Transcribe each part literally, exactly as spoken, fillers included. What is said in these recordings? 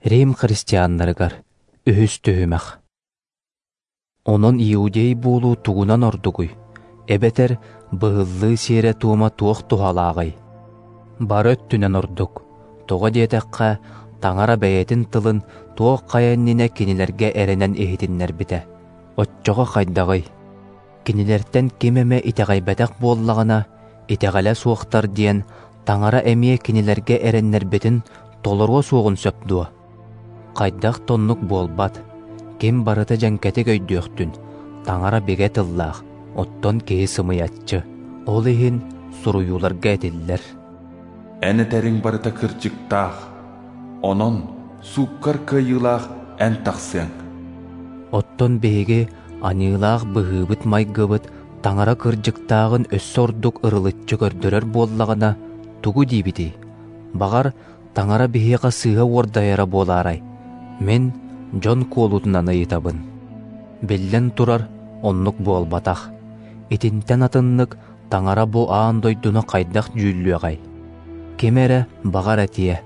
Рим христианнарыгар үһүс түһүмэх. Онон иудей буолуу тугунан ордугуй? Эбэтэр быһыллыы сиэрэ-туома туох туһалааҕый? Бары өттүнэн ордук. Тоҕо диэтэххэ, Таҥара бэйэтин тылын туох хайа иннинэ кинилэргэ эрэнэн иһитиннэрбитэ. Оччоҕо хайдаҕый? Кинилэртэн ким эмэ итэҕэйбэтэх буоллаҕына, итэҕэлэ суохтар диэн Таҥара эмиэ кинилэргэ эрэннэрбитин толоруо суоҕун сөп дуо? Хайдах да оннук буолбат. Ким барыта дьэҥкэтик өйдүөхтүн, Таҥара бигэ тыллаах, оттон киһи сымыйаччы. Ол иһин суруйууларга этиллэр: Эн этэриҥ барыта кырдьыктаах, онон сууккар кыайыылаах эн тахсыаҥ. Оттон биһиги аньыылаах быһыыбыт-майгыбыт Таҥара кырдьыктааҕын өссө ордук ырылыччы көрдөрөр буоллаҕына, тугу диибитий? Баҕар, Таҥара биһиэхэ сыыһа уордайара буолаарай? Мин дьон куолутунан ыйытабын. Биллэн турар, оннук буолбатах. Итинтэн атыннык Таҥара бу аан дойдуну хайдах дьүүллүөҕэй? Ким эрэ баҕар этиэ: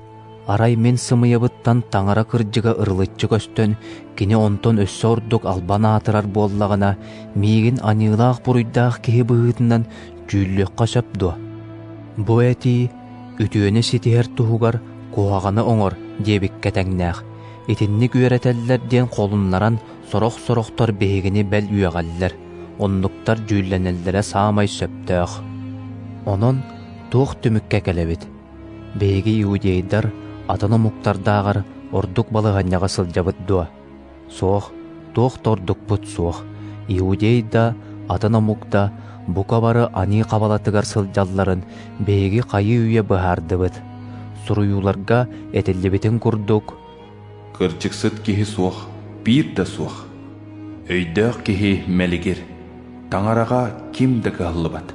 арай мин сымыйабыттан Таҥара кырдьыга ырылыччы көстөн, кини онтон өссө ордук албан аатырар буоллаҕына, миигин аньыылаах буруйдаах киһи быһыытынан дьүүллүөххэ сөп дуо? Бу этии үтүөнү ситиһэр туһугар куһаҕаны оҥор диэбиккэ тэҥнээх. Итинник үөрэтэллэр диэн холуннаран сорох-сорохтор биһигини бэл үөҕэллэр, оннуктар дьүүллэнэллэрэ саамай сөптөөх. Онон туох түмүккэ кэлэбит? Биһиги иудейдар атын омуктардааҕар ордук балаһыанньаҕа сылдьабыт дуо? Суох, туох да ордукпут суох. Иудей да, атын омук да бука бары аньыы хабалатыгар сылдьалларын биһиги хайыы-үйэ быһаардыбыт. Суруйууларга этиллибитин курдук, Кырдьыксыт киһи суох, биир да суох. Өйдөөх киһи мэлигир, Таҥараҕа ким да кыһаллыбат.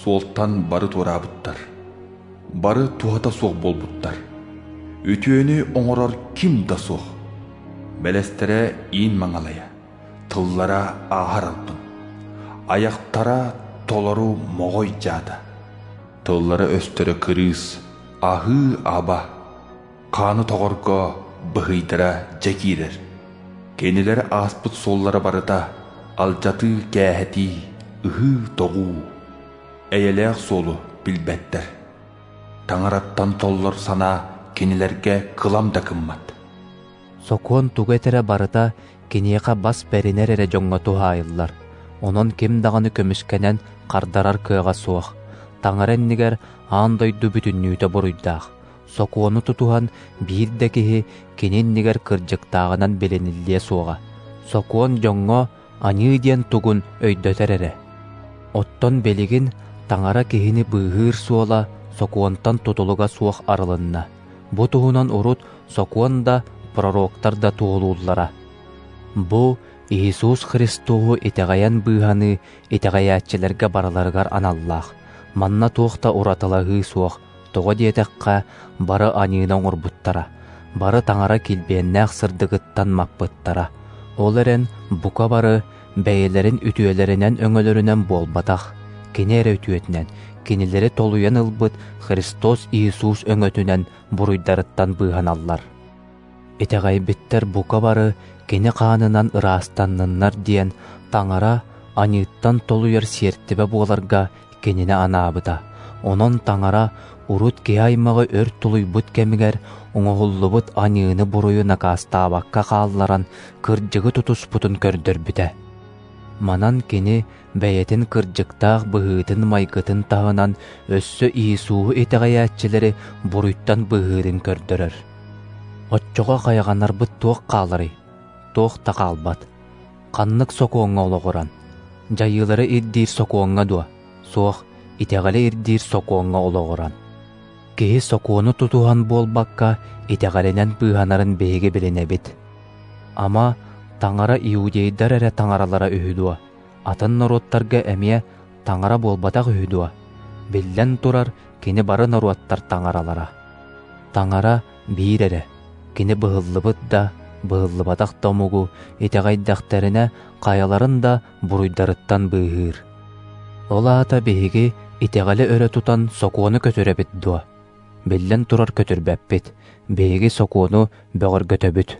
Суолтан бары туораабыттар, бары туһата суох буолбуттар. Үтүөнү оҥорор ким да суох. Бэлэстэрэ иин маҥалайа, тыллара ааһар албын, айахтара толору моҕой дьаата. Тыллара өстөрө кырыыс, аһыы аба, хааны тоҕорго быһыйдара дьэ киирэр. Кинилэр ааспыт суоллара барыта алдьатыы кээһэтии, ыһыы тоҕуу. Эйэлээх суолу билбэттэр. Таҥараттан толлор санаа кинилэргэ кылам да кыммат. Сокуон тугу этэрэ барыта киниэхэ бас бэринэр эрэ дьоҥҥо туһаайыллар. Онон ким даҕаны көмүскэнэн хардарар кыаҕа суох. Таҥара иннигэр аан дойду бүтүннүүтэ буруйдаах. Сокуону тутуһан биир да киһи кини иннигэр кырдьыктааҕынан билиниллиэ суоҕа. Сокуон дьоҥҥо аньыы диэн тугун өйдөтөр эрэ. Оттон билигин Таҥара киһини быыһыыр суола сокуонтан тутулуга суох арылынна. Бу туһунан урут сокуон да, пророктар да туоһулууллара. Бу Иисус Христоһу итэҕэйэн быыһаныы итэҕэйээччилэргэ барыларыгар аналлаах. Манна туох да уратылаһыы суох. Тоҕо диэтэххэ, бары аньыыны оҥорбуттара, бары Таҥара килбиэннээх сырдыгыттан маппыттара. Ол эрэн бука бары бэйэлэрин үтүөлэринэн өҥөлөрүнэн буолбатах, кини эрэ үтүөтүнэн, кинилэри толуйан ылбыт Христос Иисус өҥөтүнэн буруйдарыттан быыһаналлар. Итэҕэйбиттэр бука бары кини хаанынан ыраастанныннар диэн Таҥара аньыыттан толуйар сиэртибэ буоларга кинини анаабыта. Онон Таҥара урут киһи аймаҕы өр тулуйбут кэмигэр оҥоһуллубут аньыыны буруйу накаастаабакка хаалларан кырдьыгы тутуспутун көрдөрбүтэ. Манан кини бэйэтин кырдьыктаах быһыытын-майгытын таһынан өссө Иисуһу итэҕэйээччилэри буруйтан быыһыырын көрдөрөр. Оччоҕо хайҕанарбыт туох хааларый? Туох да хаалбат. Ханнык сокуоҥҥа олоҕуран? Дьайыылары ирдиир сокуоҥҥа дуо? Суох, итэҕэли ирдиир сокуоҥҥа олоҕуран. Киһи сокуону тутуһан буолбакка, итэҕэлинэн быыһанарын биһиги билинэбит. Ама Таҥара иудейдар эрэ таҥаралара үһү дуо? Атын норуоттарга эмиэ таҥара буолбатах үһү дуо? Биллэн турар, кини бары норуоттар таҥаралара. Таҥара биир эрэ. Кини быһыллыбыт да, быһыллыбатах да омугу итэҕэйдэхтэринэ хайаларын да буруйдарыттан быыһыыр. Ол аата биһиги итэҕэли өрө тутан сокуону көтүрэбит дуо? Биллэн турар, көтүрбэппит. Биһиги Сокуону бөҕөргөтөбүт.